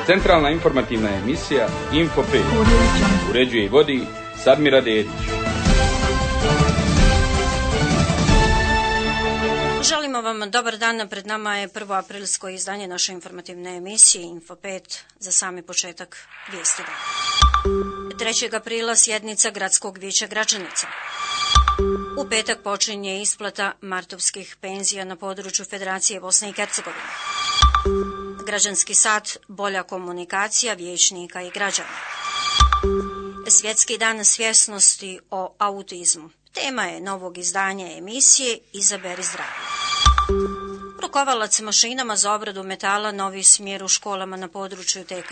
Centralna informativna emisija Info 5. Uređuje i vodi Sadmira Dedić. Želimo vam dobar dan, pred nama je 1. aprilsko izdanje naše informativne emisije Info 5 za sami početak vijesti dana. 3. aprila sjednica Gradskog vijeća Gračanica. U petak počinje isplata martovskih penzija na području Federacije Bosne i Hercegovine. Građanski sat, bolja komunikacija vijećnika i građana. Svjetski dan svjesnosti o autizmu. Tema je novog izdanja emisije Izaberi zdravlje. Rukovalac mašinama za obradu metala, novi smjer u školama na području TK.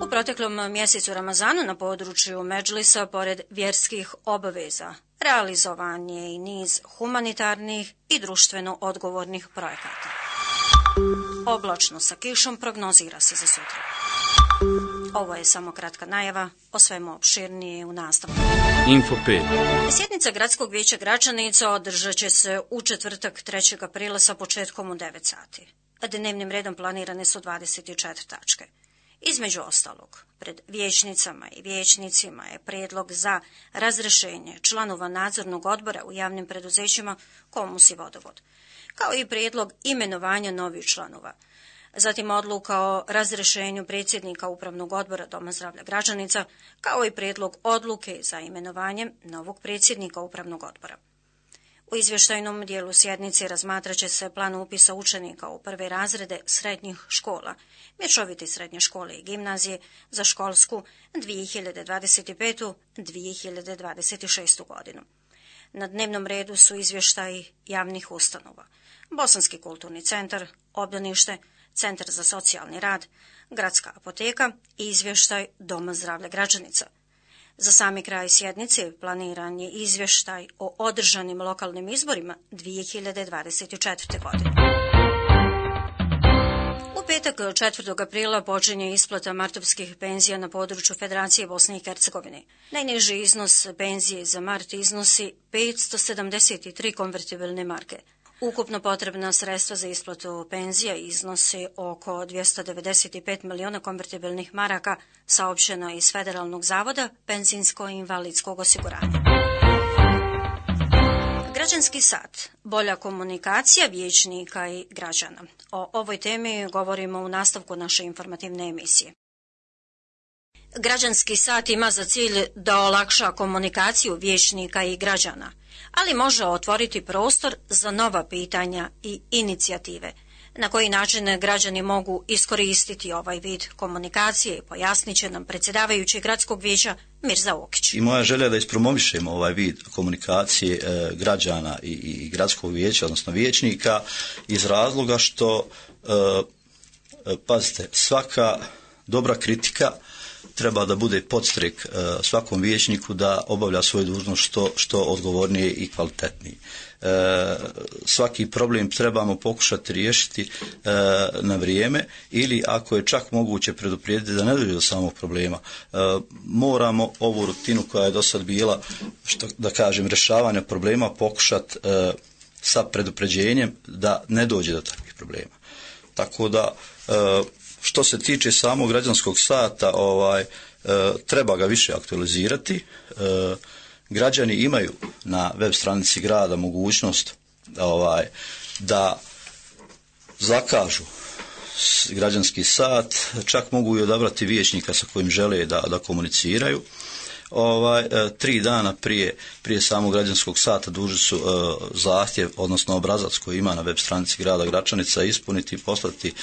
U proteklom mjesecu Ramazanu na području Medžlisa, pored vjerskih obaveza, realizovan je i niz humanitarnih i društveno odgovornih projekata. Oblačno sa kišom prognozira se za sutra. Ovo je samo kratka najava, o svemu opširnije u nastavku. Info 5. Sjednica Gradskog vijeća Gračanica održat će se u četvrtak 3. aprila sa početkom u 9 sati. Dnevnim redom planirane su 24 tačke. Između ostalog, pred vijećnicama i vijećnicima je prijedlog za razrješenje članova nadzornog odbora u javnim preduzećima Komus i Vodovod, kao i prijedlog imenovanja novih članova. Zatim odluka o razrješenju predsjednika Upravnog odbora Doma zdravlja Gračanica, kao i prijedlog odluke za imenovanje novog predsjednika Upravnog odbora. U izvještajnom dijelu sjednice razmatrat će se plan upisa učenika u prve razrede srednjih škola, mješovite srednje škole i gimnazije za školsku 2025-2026. godinu. Na dnevnom redu su izvještaji javnih ustanova: Bosanski kulturni centar, obdanište, Centar za socijalni rad, Gradska apoteka i izvještaj Doma zdravlja Gračanica. Za sami kraj sjednice planiran je izvještaj o održanim lokalnim izborima 2024. godine. U petak 4. aprila počinje isplata martovskih penzija na području Federacije Bosne i Hercegovine. Najniži iznos penzije za mart iznosi 573 konvertibilne marke. Ukupno potrebna sredstva za isplatu penzija iznose oko 295 miliona konvertibilnih maraka, saopšteno je iz Federalnog zavoda penzijsko-invalidskog osiguranja. Građanski sat, bolja komunikacija vijećnika i građana. O ovoj temi govorimo u nastavku naše informativne emisije. Građanski sat ima za cilj da olakša komunikaciju vijećnika i građana, ali može otvoriti prostor za nova pitanja i inicijative. Na koji način građani mogu iskoristiti ovaj vid komunikacije, pojasnit će nam predsjedavajući Gradskog vijeća Mirza Okić. I moja želja je da ispromovišemo ovaj vid komunikacije građana i Gradskog vijeća, odnosno vijećnika, iz razloga što, pazite, svaka dobra kritika treba da bude podstrek svakom vijećniku da obavlja svoju dužnost što odgovornije i kvalitetnije. Svaki problem trebamo pokušati riješiti na vrijeme, ili ako je čak moguće preduprijediti da ne dođe do samog problema. Moramo ovu rutinu koja je do sad bila, da kažem, rješavanja problema pokušati sa predupređenjem da ne dođe do takvih problema. Tako da, što se tiče samog građanskog sata, treba ga više aktualizirati. Građani imaju na web stranici grada mogućnost da zakažu građanski sat, čak mogu i odabrati vijećnika sa kojim žele da komuniciraju. 3 dana prije samog građanskog sata dužni su zahtjev, odnosno obrazac koji ima na web stranici grada Gračanica ispuniti i poslati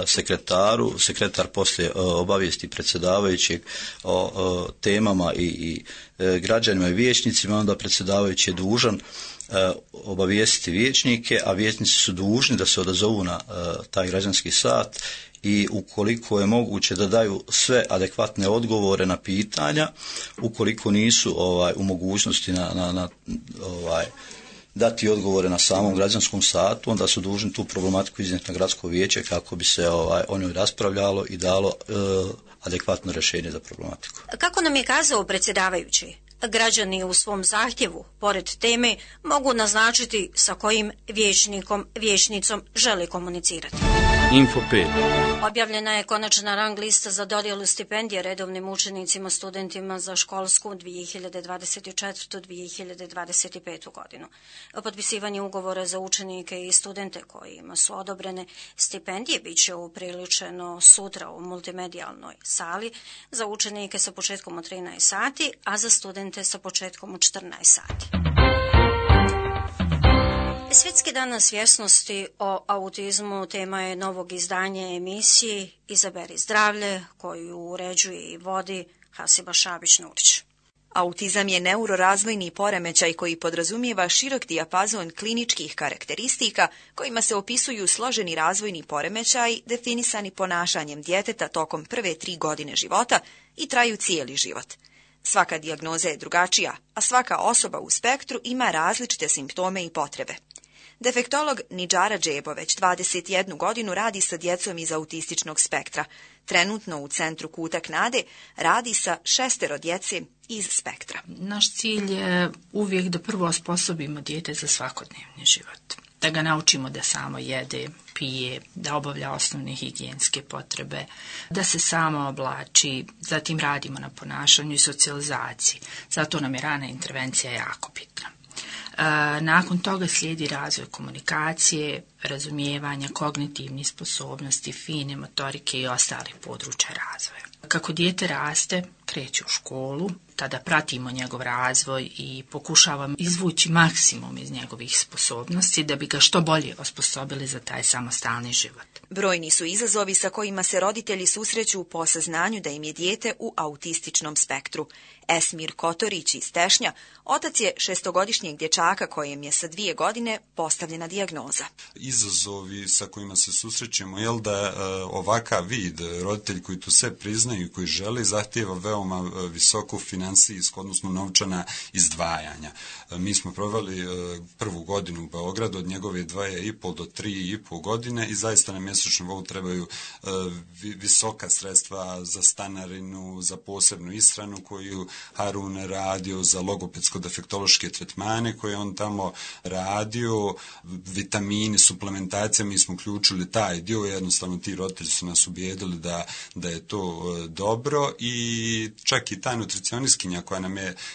sekretaru. Sekretar poslije obavijesti predsjedavajućeg o temama i građanima i vijećnicima, onda predsjedavajući je dužan obavijestiti vijećnike, a vijećnici su dužni da se odazovu na taj građanski sat i ukoliko je moguće da daju sve adekvatne odgovore na pitanja. Ukoliko nisu u mogućnosti dati odgovore na samom građanskom satu, onda su dužni tu problematiku iznijeti na gradsko vijeće kako bi se o njoj raspravljalo i dalo adekvatno rješenje za problematiku. Kako nam je kazao predsjedavajući, građani u svom zahtjevu, pored teme, mogu naznačiti sa kojim vijećnicom žele komunicirati. Info 5. Objavljena je konačna rang lista za dodjelu stipendije redovnim učenicima, studentima za školsku 2024-2025. godinu. Potpisivanje ugovora za učenike i studente kojima su odobrene stipendije bit će upriličeno sutra u multimedijalnoj sali za učenike sa početkom od 13 sati, a za studente sa početkom od 14 sati. Svjetski dan svjesnosti o autizmu tema je novog izdanja emisije Izaberi zdravlje, koju uređuje i vodi Hasiba Šabić-Nurić. Autizam je neurorazvojni poremećaj koji podrazumijeva širok dijapazon kliničkih karakteristika kojima se opisuju složeni razvojni poremećaj definisani ponašanjem djeteta tokom prve 3 godine života i traju cijeli život. Svaka dijagnoza je drugačija, a svaka osoba u spektru ima različite simptome i potrebe. Defektolog Nidžara Džebo već 21 godinu radi sa djecom iz autističnog spektra. Trenutno u Centru Kutak nade radi sa 6 djece iz spektra. Naš cilj je uvijek da prvo osposobimo dijete za svakodnevni život. Da ga naučimo da samo jede, pije, da obavlja osnovne higijenske potrebe, da se samo oblači, zatim radimo na ponašanju i socijalizaciji. Zato nam je rana intervencija jako bitna. Nakon toga slijedi razvoj komunikacije, razumijevanja, kognitivnih sposobnosti, fine motorike i ostalih područja razvoja. Kako dijete raste, kreće u školu, tada pratimo njegov razvoj i pokušavamo izvući maksimum iz njegovih sposobnosti da bi ga što bolje osposobili za taj samostalni život. Brojni su izazovi sa kojima se roditelji susreću po saznanju da im je dijete u autističnom spektru. Esmir Kotorić iz Tešnja, otac je 6-godišnjeg dječaka kojem je sa 2 godine postavljena dijagnoza. Izazovi sa kojima se susrećemo je da ovakav vid, roditelji koji tu sve priznaju i koji žele, zahtijeva veoma visoku finansijsku, odnosno novčana izdvajanja. Mi smo proveli prvu godinu u Beogradu od njegove 2,5 do 3,5 godine i zaista na mjesečnom nivou trebaju visoka sredstva za stanarinu, za posebnu ishranu koju Harun radio, za logopedsko-defektološke tretmane koje on tamo radio, vitamini, suplementacija, mi smo uključili taj dio, jednostavno ti roditelji su nas ubijedili da je to dobro i čak i ta nutricionistkinja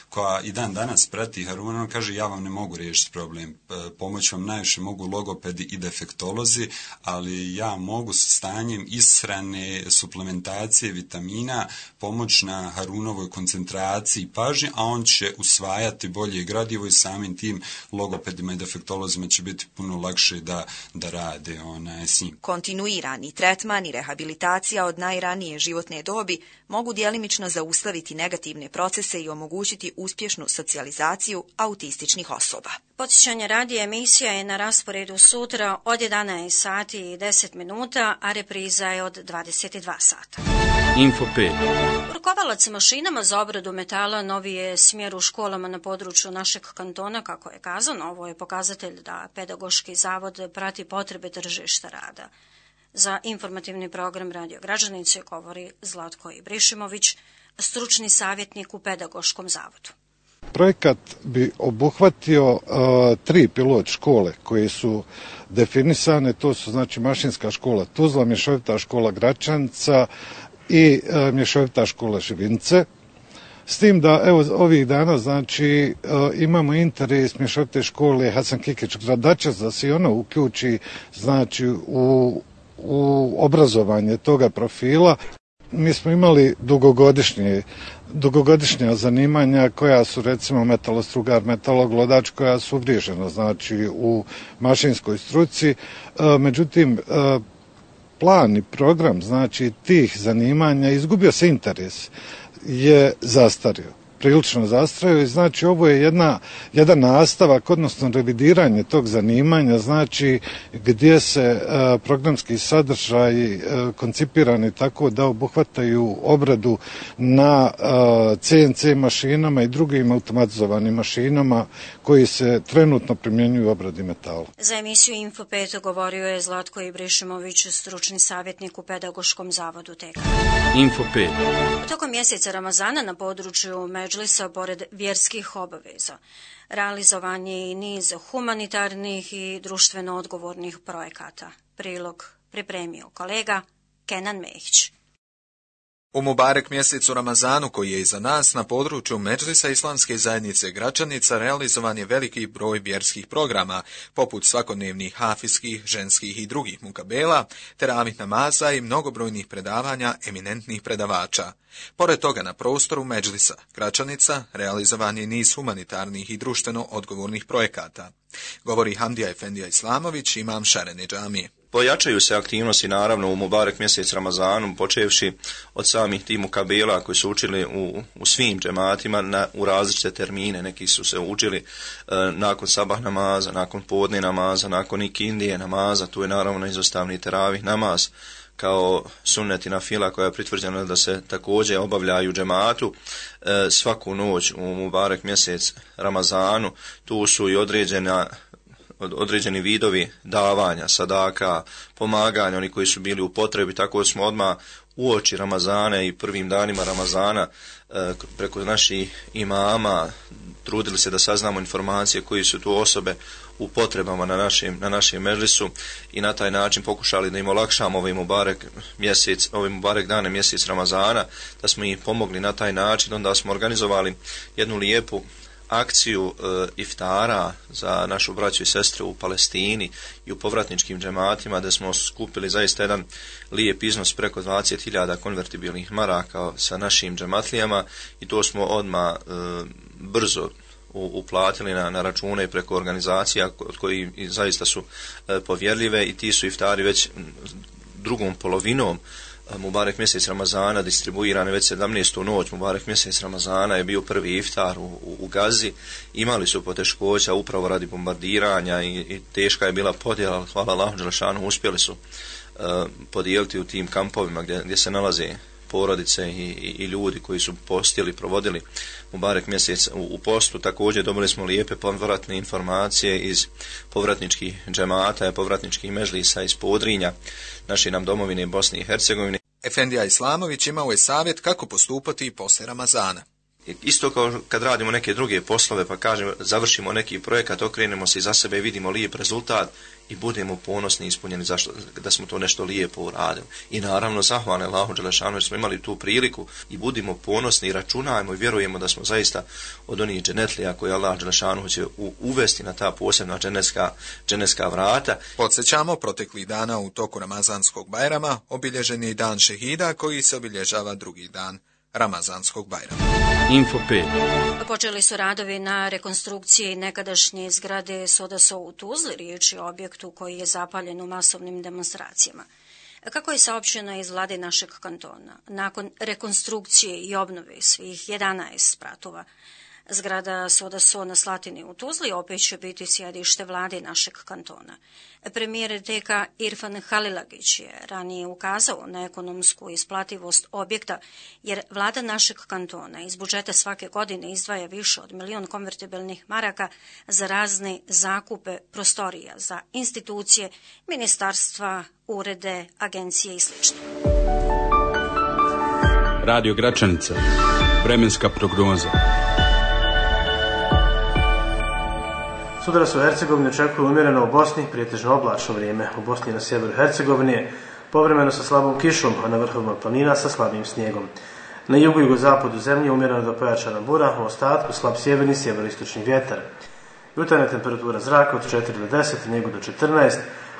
koja i dan danas prati Haruna, on kaže ja vam ne mogu riješiti problem, pomoć vam najviše mogu logopedi i defektolozi, ali ja mogu sa stanjem ishrane, suplementacije, vitamina pomoć na Harunovoj koncentraciji i pažnji, a on će usvajati bolje gradivo i samim tim logopedima i defektolozima će biti puno lakše da rade s njim. Kontinuirani tretman i rehabilitacija od najranije životne dobi mogu djelimično zaustaviti negativne procese i omogućiti uspješnu socijalizaciju autističnih osoba. Podsjećanje radi emisija je na rasporedu sutra od 11 sati i 10 minuta, a repriza je od 22 sata. Info 5. Rukovalac mašinama za obradu metala novi je smjer u školama na području našeg kantona, kako je kazano. Ovo je pokazatelj da Pedagoški zavod prati potrebe tržišta rada. Za informativni program Radio Građanice govori Zlatko Ibrišimović, stručni savjetnik u Pedagoškom zavodu. Projekat bi obuhvatio 3 pilot škole koje su definisane, to su znači Mašinska škola Tuzla, Mješovita škola Gračanica i Mješovita škola Živince. S tim da evo ovih dana znači imamo interes Mješovite škole Hasan Kikić Gradačac da se ono uključi znači u obrazovanje toga profila. Mi smo imali dugogodišnja zanimanja koja su recimo metalostrugar, metaloglodač koja su uvriježena znači u mašinskoj struci. Međutim, plan i program znači tih zanimanja, izgubio se interes, je zastario. Prilično zastario i znači ovo je jedan nastavak, odnosno revidiranje tog zanimanja, znači gdje se programski sadržaj koncipirani tako da obuhvataju obradu na CNC mašinama i drugim automatizovanim mašinama koji se trenutno primjenjuju u obradi metala. Za emisiju Info 5 govorio je Zlatko Ibrišimović, stručni savjetnik u Pedagoškom zavodu TK. Info 5. Tokom mjeseca Ramazana na području Medžlisa, pored vjerskih obaveza, realizovan je i niz humanitarnih i društveno odgovornih projekata. Prilog pripremio kolega Kenan Mehić. U Mubarek mjesecu Ramazanu koji je iza nas, na području Medžlisa Islamske zajednice Gračanica realizovan je veliki broj vjerskih programa, poput svakodnevnih hafijskih, ženskih i drugih mukabela, teravih namaza i mnogobrojnih predavanja eminentnih predavača. Pored toga na prostoru Medžlisa Gračanica realizovan je niz humanitarnih i društveno odgovornih projekata. Govori Hamdija Efendija Islamović, imam Šarene džamije. Pojačaju se aktivnosti naravno u Mubarek mjesec Ramazanu, počevši od samih tih mukabela koji su učili u svim džematima u različite termine. Neki su se učili nakon sabah namaza, nakon podne namaza, nakon ikindije namaza, tu je naravno izostavni teravih namaz kao sunnetina fila koja je pritvrđena da se također obavljaju džematu svaku noć u Mubarek mjesec Ramazanu. Tu su i određeni vidovi davanja, sadaka, pomaganja, oni koji su bili u potrebi, tako smo odmah uoči Ramazana i prvim danima Ramazana preko naših imama trudili se da saznamo informacije koji su tu osobe u potrebama na našem medžlisu i na taj način pokušali da im olakšamo ovaj Mubarek dane mjesec Ramazana, da smo im pomogli na taj način. Onda smo organizovali jednu lijepu akciju iftara za našu braću i sestre u Palestini i u povratničkim džematima, da smo skupili zaista jedan lijep iznos preko 20.000 konvertibilnih maraka sa našim džematlijama i to smo odmah brzo uplatili na račune preko organizacija koji zaista su povjerljive i ti su iftari već drugom polovinom Mubarek mjesec Ramazana distribuirane već 17. noć. Mubarek mjesec Ramazana je bio prvi iftar u Gazi. Imali su poteškoća upravo radi bombardiranja i teška je bila podjela, hvala Allahu dželešanu, uspjeli su podijeliti u tim kampovima gdje se nalaze porodice i ljudi koji su postili, provodili Mubarek mjesec u postu. Također dobili smo lijepe povratne informacije iz povratničkih džemata, povratničkih medžlisa iz Podrinja, naše nam domovine Bosne i Hercegovine. Efendija Islamović imao je savjet kako postupati poslije Ramazana. Isto kao kad radimo neke druge poslove, pa kažem, završimo neki projekat, okrenemo se iza sebe i vidimo lijep rezultat i budemo ponosni i ispunjeni da smo to nešto lijepo uradili. I naravno zahvalni Allahu dželešanu jer smo imali tu priliku i budimo ponosni i računajmo i vjerujemo da smo zaista od onih dženetlija koje Allah dželešanu će uvesti na ta posebna dženetska vrata. Podsjećamo, proteklih dana u toku Ramazanskog bajrama obilježen je i dan šehida koji se obilježava drugi dan Ramazanskog bajrama. Info 5. Počeli su radovi na rekonstrukciji nekadašnje zgrade Sodaso u Tuzli, riječ je o objektu koji je zapaljen u masovnim demonstracijama. Kako je saopćeno iz vlade našeg kantona, nakon rekonstrukcije i obnove svih 11 spratova, zgrada Sodaso na Slatini u Tuzli opet će biti sjedište vlade našeg kantona. Premijer TK Irfan Halilagić je ranije ukazao na ekonomsku isplativost objekta, jer vlada našeg kantona iz budžeta svake godine izdvaja više od 1 milion konvertibilnih maraka za razne zakupe prostorija, za institucije, ministarstva, urede, agencije i sl. Radio Gračanica. Vremenska prognoza. Sutra se u Hercegovini očekuje umjereno u Bosni, prijetežno oblačno vrijeme. U Bosni na sjeveru Hercegovine povremeno sa slabom kišom, a na vrhovima planina sa slabim snijegom. Na jugu i jugozapadu zemlje umjereno do pojačana bura, u ostatku slab sjeverni sjeveroistočni vjetar. Jutarnja temperatura zraka od 4 do 10, Njegu do 14,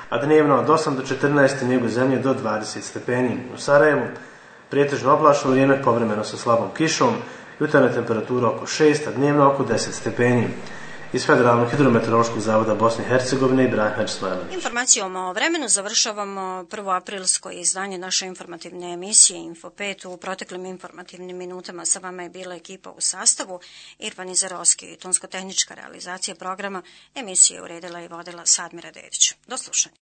a dnevno od 8 do 14, Njegu zemlje do 20 stepeni. U Sarajevu prijetežno oblačno vrijeme, povremeno sa slabom kišom, jutarnja temperatura oko 6, a dnevno oko 10 stepeni. Iz Federalnog hidrometeorološkog zavoda Bosne i Hercegovine Ibrahim Hadžismajlović. Informacijom o vremenu završavamo 1. aprilsko izdanje naše informativne emisije Info 5. U proteklim informativnim minutama sa vama je bila ekipa u sastavu Irvan Izarovski, tonsko-tehnička realizacija programa emisije uredila i vodila Sadmira Dedić. Do slušanja.